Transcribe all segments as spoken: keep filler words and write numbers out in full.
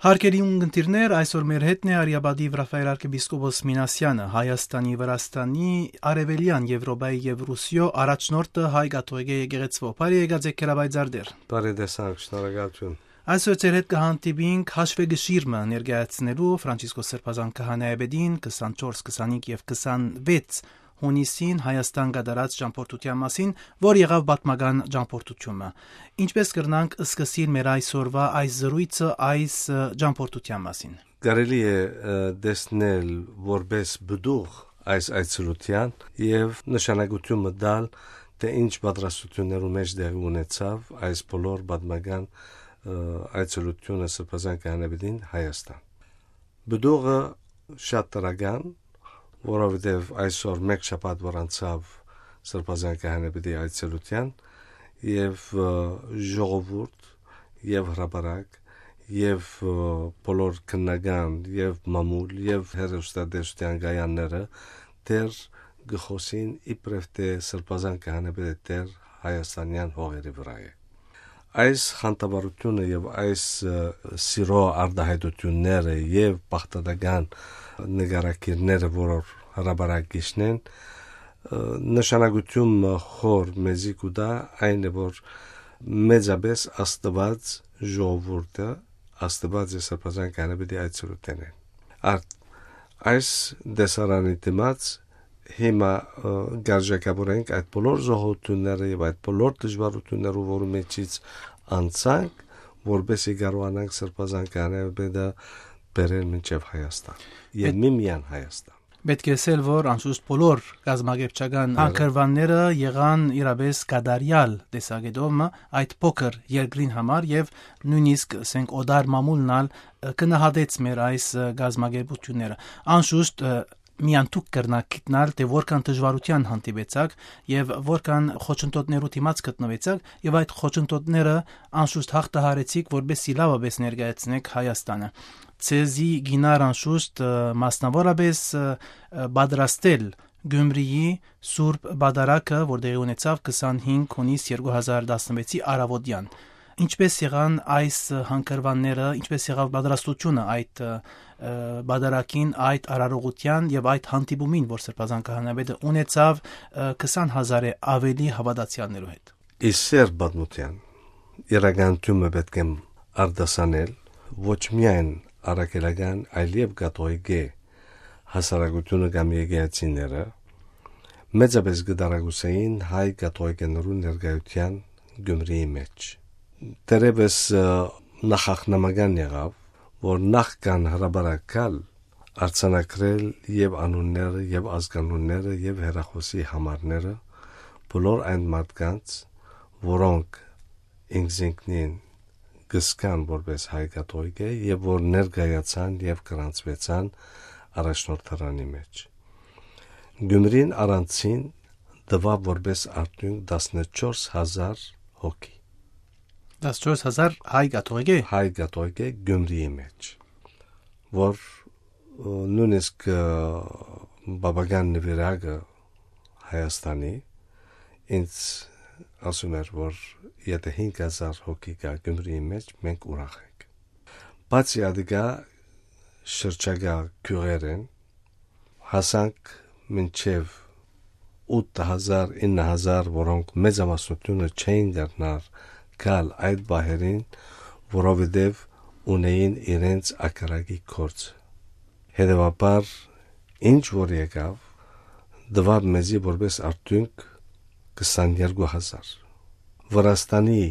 Հարգելի ունգընտիրներ, այսօր մեր հետն է Արիապատիվ Ռաֆայել արքեպիսկոպոս Մինասեանը, Հայաստանի, Վրաստանի, Արեւելեան Եւրոպայի եւ Ռուսիոյ առաջնորդը հայ կաթողիկէ եկեղեցւոյ։ Բարի եկած եք, Քերաբայ Ձարդեր։ Բարի տեսանք, շնորհակալություն։ Այսօր ձեր հետ կը հանդիպինք հաշվեգշիր մը ներկայացնելու Ֆրանցիսկոս Սրբազան քահանայապետին քսանչորս, քսանհինգ եւ քսանվեց հունիսին Հայաստան կատարած ճամբորդութեան մասին, որ եղաւ պատմական ճամբորդութիւնը։ Ինչպէս կրնանք սկսիլ մեր այսօրվա այս զրոյցը այս, ը, ճամբորդութեան մասին։ Կարելի է, ը, տեսնել որպէս պտուղ այս այցելութեան եւ նշանակութիւն մը տալ, թէ ինչ պատրաստութիւններու մէջ տեղի ունեցաւ այս բոլոր պատմական, ը, այցելութիւնը Սրբազան քահանայապետին Հայաստան։ Պտուղը շատ դրական, որովհետեւ այսօր մէկ շաբաթ որ անցաւ Սրբազան քահանայապետի այցելութեան, եւ, ը, ժողովուրդ, եւ հրապարակ, եւ, ը, բոլոր քննական, եւ մամուլ, եւ հեռուստատեսութեան կայանները դեռ կը խօսին իբրեւ թէ Սրբազան քահանայապետը դեռ հայաստանեան հողերի վրայ է։ Այս խանդավառութիւնը եւ այս, ը, սիրո արտահայտութիւնները եւ բաղդատական նկարագիրները, որ հրապարակիչն են, ը, նշանակութիւն մը խոր մեզի կու տայ, այն է, որ մեծապէս Աստուած ժողովուրդը, Աստուած է Սրբազան քահանայապետի այցելութենէն։ Արդ, այս տեսարանի դիմաց հիմա, ը, կ'արժեքավորենք այդ բոլոր զոհութիւնները եւ այդ բոլոր դժուարութիւններու, որու միջից անցանք, որպէս զի կարողանանք Սրբազան քահանայապետը բերել մինչեւ Հայաստան եւ Պետ- միմիան Հայաստան։ Պէտք է ըսել, որ անշուշտ բոլոր կազմակերպչական Հա։ հանգրուանները եղան իրապէս կատարեալ տեսակետով մը այդ փոքր երկրին համար եւ նոյնիսկ, ասենք, օտար մամուլն ալ, ը, գնահատեց մեր այս, ը, կազմակերպութիւնները։ Անշուշտ, ը, միայն դուք կրնաք գիտնալ, թէ որքան դժուարութեան հանդիպեցաք եւ որքան խոչընդոտներու դիմաց գտնուեցաք եւ այդ խոչընդոտները անշուշտ յաղթահարեցիք, որպէս զի լաւապէս ներկայացնէք Հայաստանը։ Ձեզի կ'իյնար անշուշտ, ը, մասնաւորապէս, ը, ը, պատրաստել Գյումրիի Սուրբ Պատարագը, որ տեղի ունեցաւ քսանհինգ հունիս երկու հազար տասնվեցի առաւօտեան։ Ինչպէս եղան այս հանգրուանները, ինչպէս եղաւ պատրաստութիւնը այդ, ը, ը, պատարագին, այդ արարողութեան եւ այդ հանդիպումին, որ Սրբազան քահանայապետը ունեցաւ, ը, քսան հազարէ աւելի հաւատացեալներու հետ։ Ի սեր պատմութեան, իրականութիւնը պէտք է արտասանել ոչ միայն առաքելական, այլեւ կաթողիկէ հասարակութիւնը կամ եկեղեցիները, մեծապէս կը տարակուսէին հայ կաթողիկեներու ներկայութեան Գյումրիի մէջ։ Դերևս, ը, նախախնամական եղաւ, որ նախքան հրապարակ գալ, արձանագրել եւ անունները, եւ ազգանունները, եւ հեռախօսի համարները բոլոր այն մարդկանց, որոնք ինքզինքնին կը զգան որպէս հայ կաթողիկէ եւ որ ներկայացան եւ գրանցուեցան առաջնորդարանի մէջ։ Գյումրին առանցին տուաւ որպէս արդիւնք տասնչորս հազար հոգի։ Տասնչորս հազար հայ կաթողիկէ։ Հայ կաթողիկէ Գյումրիի մէջ, որ, ը, նոյնիսկ, ը, բաբական նուիրակը Հայաստանի ինձ ասում էր, որ եթէ հինգ հազար հոգի կայ Գյումրիի մէջ, մենք ուրախ ենք։ Բացի ատիկա, շրջակայ գիւղերէն հասանք մինչեւ ութ հազար, ինը հազար, որոնք մեծամասնութիւնը չէին կրնար գալ այդ պահերին, որովհետեւ ունէին իրենց ակարակի գործը։ Հետեւաբար, ինչ որ եկաւ, տուաւ մեզի որպէս արդիւնք քսաներկու հազար։ Վրաստանի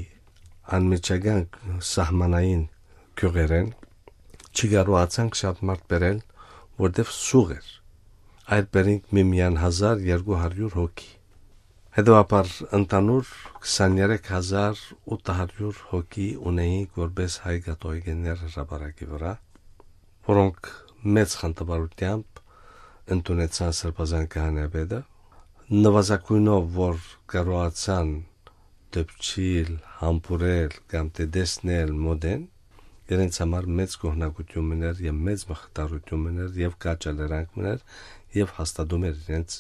անմիջական սահմանային գիւղերէն չի կարողացանք շատ մարդ բերել, որտեւ սուղ էր։ Այդ բերինք միմիան հազար երկու հարիւր հոգի։ Հետեւաբար, ընդհանուր քսաներեք հազար ութ հարիւր հոգի ունեինք որպէս հայ կաթողիկեներ հրապարակի վրայ, որոնք մեծ խանդավառութեամբ ընդունեցան Սրբազան քահանայապետը, նուազագոյնով որ կարողացան դպչիլ, համբուրել կամ թէ տեսնել մօտէն, իրենց համար մեծ գոհնակութիւն մըն էր եւ մեծ մխիթարութիւն մըն էր եւ կաչալերանք մըն էր եւ հաստատում էր իրենց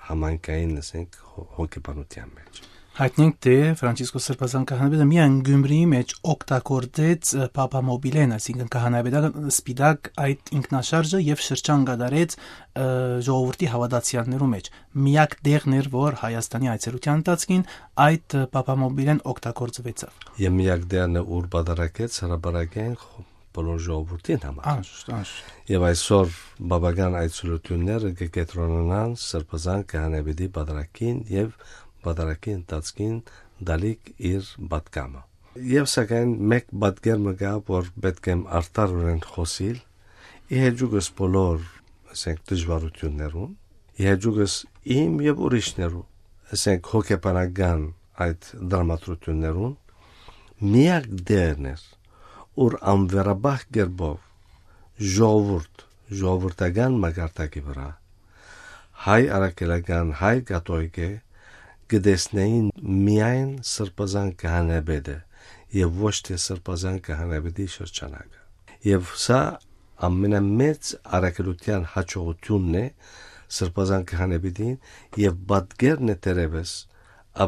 համայնքային, ասենք, հո-, հոգեբանութեան մէջ։ Հայտնենք, թէ Ֆրանցիսկոս Սրբազան քահանայապետը միայն Գյումրիի մէջ օգտագործեց, ը, Փափամոբիլեն, այսինքն՝ քահանայապետական սպիտակ, այդ ինքնաշարժը, եւ շրջան կատարեց, ը, ժողովրդի հաւատացեալներու մէջ։ Միակ տեղն էր, որ Հայաստանի այցելութեան ընթացքին այդ, ը, Փափամոբիլեն օգտագործուեցաւ։ Եւ միակ տեղն է, ուր պատարագեց հրապարակային խ-, բոլոր ժողովուրդին համար։ Անշուշտ, անշուշտ։ Եւ այսօր բաբական այցելութիւնները կը կեդրոնանան Սրբազան քահանայապետի պատարագին եւ պատարագի ընթացքին տալիք իր պատգամը։ Եւ սակայն մէկ պատկեր մը կայ, որ պէտք եմ արդարօրէն խօսիլ, ի հեճուկս բոլոր, ասենք, դժուարութիւններուն, ի հեճուկս իմ եւ ուրիշներու, ասենք, հոգեբանական այդ դրամատրութիւններուն, միակ դերն էր, ուր անվերապահ կերպով ժողովուրդ, ժողովրդական մակարդակի վրայ, հայ առաքելական, հայ կաթողիկէ կը տեսնէին միայն Սրբազան քահանայապետը եւ ոչ թէ Սրբազան քահանայապետի շրջանակը։ Եւ սա ամենամեծ առաքելութեան յաջողութիւնն է Սրբազան քահանայապետին եւ պատկերն է, թերեւս,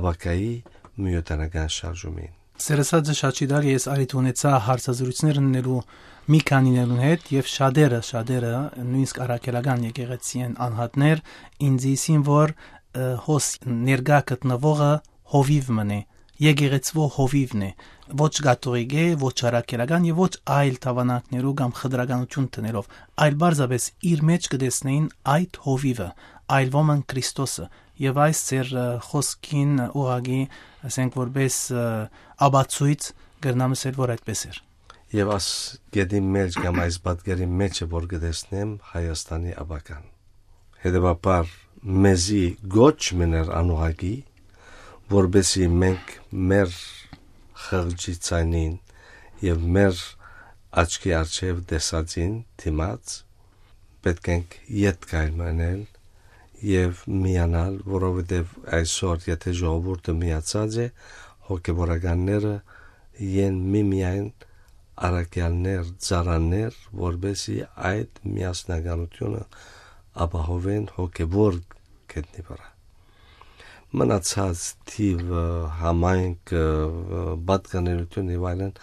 ապագայի միութենական շարժումին։ Սերսաձը շաչի տակ ես արիթ ունեցա հարցազրույցներ ընելու մի քանիներուն հետ, եւ շատերը, շատերը, նոյնիսկ առաքելական եկեղեցիին անհատներ, ինձ ըսին, որ, ը, հոս ներկայ գտնուողը հովիվ մըն է, եկեղեցւոյ հովիվն է, ոչ կաթողիկ է, ոչ առաքելական եւ ոչ այլ դաւանանքներու կամ խտրականութիւն դնելով, այլ պարզապէս իր մէջ կը տեսնէին այդ հովիվը, այլ ոմն՝ Քրիստոսը, եւ այս ձեր, ը, խօսքին ուղղակի, ասենք, որպէս, ը, ապացոյց կրնամ ըսել, որ այդպէս էր։ Եւ այս կետին մէջ կամ այս պատկերին մէջ է, որ կը տեսնեմ Հայաստանի ապագան։ Հետեւաբար, մեզի կոչ մըն էր անուղղակի, որպէսզի մենք մեր խղճի ձայնին եւ մեր աչքի առջեւ տեսածին դիմաց պէտք ենք ետք քայլ մը ընել եւ միանալ, որովհետեւ այսօր, եթէ ժողովուրդը միացած է, հոգեվորականները են միմիայն առաքեալներ, ծառաներ, որպէսզի այդ միասնականութիւնը ապահովեն հոգեվոր գետնի վրայ։ Մնացած թիւը, համայնքը, պատկանելիությունը եւ այլն,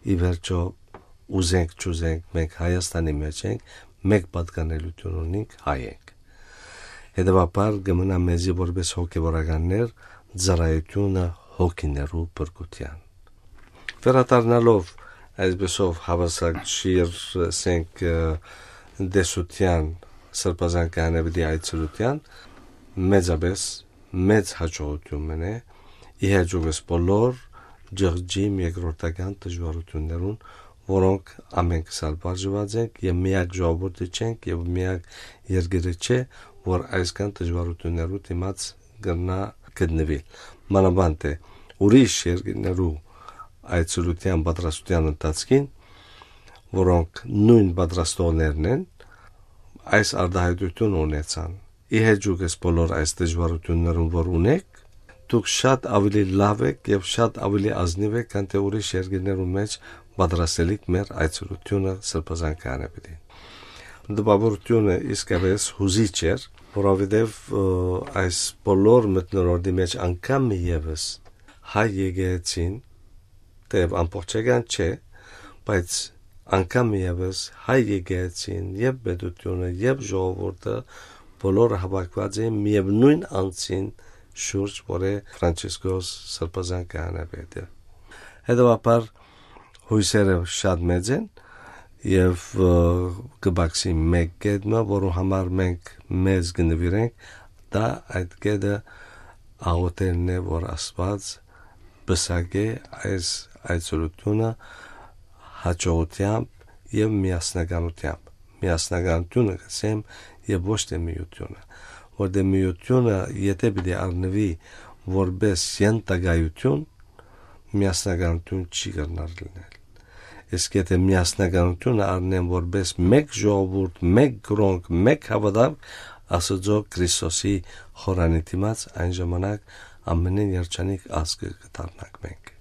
ի վերջոյ, ուզենք չուզենք, մենք Հայաստանի մէջ ենք, մէկ պատկանելիութիւն ունենք, հայ ենք։ Հետեւաբար, կը մնայ մեզի որպէս հոգեվորականներ ծառայութիւնը հոգիներու փրկութեան։ Վերադառնալով այսպիսով հաւասարչիր, ասենք, ը, տեսութեան, Սրբազան քահանայապետի այցելութեան, մեծապէս մեծ յաջողութիւն մըն է, ի հեճուկս բոլոր ջղջիմ երկրորդական դժուարութիւններուն, որոնք ամենքս ալ վարժուած ենք եւ միակ ժողովուրդը չենք եւ միակ երկիրը չէ, որ այսքան դժուարութիւններու դիմաց կրնայ գտնուիլ։ Մանաւանդ է, ուրիշ երկիրներու այցելութեան պատրաստութեան ընթացքին, որոնք նոյն պատրաստողներն են, այս արտահայտութիւնը ունեցան։ Ի հեճուկս բոլոր այս դժուարութիւններուն, որ ունեք, դուք շատ աւելի լաւ եք եւ շատ աւելի ազնիւ եք, քան թէ ուրիշ երկիրներու մէջ պատրաստելիք մեր այցելութիւնը Սրբազան քահանայապետին։ Տպաւորութիւնը իսկապէս յուզիչ էր, որովհետեւ, ը, այս բոլոր մթնոլորտի մէջ անգամ մի եւս հայ եկեղեցին, թէեւ ամբողջական չէ, բայց անգամ մի եւս հայ եկեղեցին, եւ պետությունը, եւ ժողովուրդը, բոլորը հաւաքուած էին միեւնոյն անձին շուրջ, որ է Ֆրանցիսկոս Սրբազան քահանայապետը։ Հետեւաբար, յոյսերը շատ մեծ են, եւ, ը, կը բացի մէկ կետ մը, որու համար մենք մեզ կը նուիրենք, դա այդ կետը աղոթելն է, որ Աստուած պսակէ այս այցելութիւնը յաջողութեամբ եւ միասնականութեամբ։ Միասնականութիւնը կ'ըսեմ, եւ ոչ թէ միութիւնը, որտեղ միութիւնը, եթէ պիտի առնուի որպէս ենթակայութիւն, միասնականութիւն չի կրնար լինել։ Իսկ եթէ միասնականութիւնը առնեն որպէս մէկ ժողովուրդ, մէկ կրոնք, մէկ հաւատանք, Աստուծոյ Քրիստոսի խորանի դիմաց, այն ժամանակ ամենէն երջանիկ ազգը կը դառնանք մենք։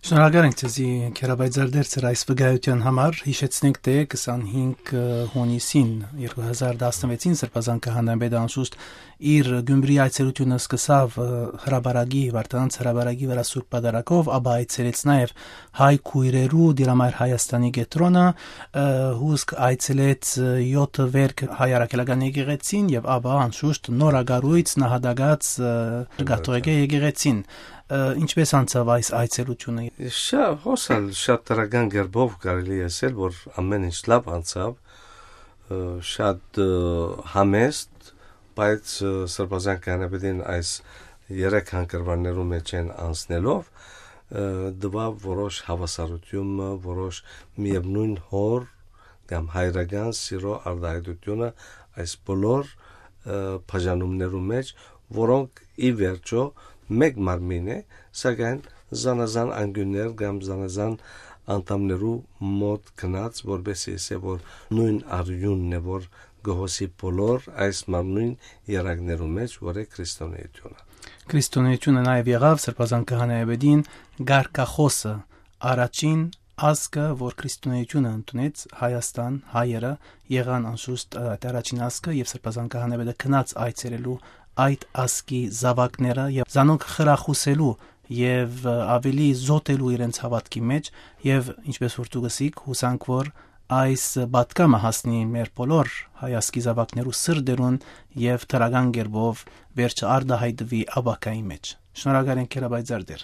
Շնորհակալ ենք ձեզի, Գերապայծառ Դերցեր, այս վկայութեան համար։ Յիշեցնենք, թէ քսանհինգ հունիսին երկու հազար տասնվեցին Սրբազան քահանայապետը անշուշտ իր Գյումրի այցելութիւնը սկսաւ, ը, հրապարակի, Վարդանանց հրապարակի վրայ Սուրբ Պատարագով, ապա այցելեց նաեւ հայ քոյրերու Տիրամայր Հայաստանի կեդրոնը, ը, հուսկ այցելեց, ը, յոթը վերք հայ առաքելական եկեղեցին եւ ապա անշուշտ նորակառոյց նահատակաց, ը, կաթողիկէ եկեղեցին։ Ը, ինչպէս անցաւ այս այցելութիւնը։ Շա-, հոս ալ շատ դրական կերպով կարելի է ասել, որ ամեն ինչ լավ անցաւ, ը, շատ, ը, համեստ, բայց, ը, Սրբազան Քահանայապետին այս երեք հանգրուաններու մէջ են անցնելով, ը, տուաւ որոշ հաւասարութիւնը, որոշ միեւնոյն հոր կամ հայրական սիրո արտահայտութիւնը այս բոլոր, ը, բաժանումներու մէջ, որոնք ի վերջո մէկ մարմին է, սակայն զանազան անկիւններ կամ զանազան անդամներու մօտ գնաց, որպեսզի ասէ, որ նոյն արիւնն է, որ կը հոսի բոլոր այս մարմնոյն երակներու մէջ, որ է քրիստոնէութիւնը։ Քրիստոնէութիւնը նաեւ եղաւ Սրբազան Քահանայապետին կարգախոսը, առաջին ազգը, որ քրիստոնէութիւնը ընդունեց, Հայաստան, հայերը եղան անշուշտ, ը, այդ առաջին ազգը, եւ Սրբազան Քահանայապետը գնաց այցելելու այդ ազգի զաւակները եւ զանոնք խրախուսելու եւ, ը, աւելի զօտելու իրենց հաւատքի մէջ, եւ ինչպէս որ դուք ըսիք, յուսանք որ այս պատգամը հասնի մեր բոլոր հայ ազգի զաւակներու սրտերուն եւ դրական կերպով վերջը արտահայտուի ապագայի մէջ։ Շնորհակալ ենք, Քերաբայձար Տէր։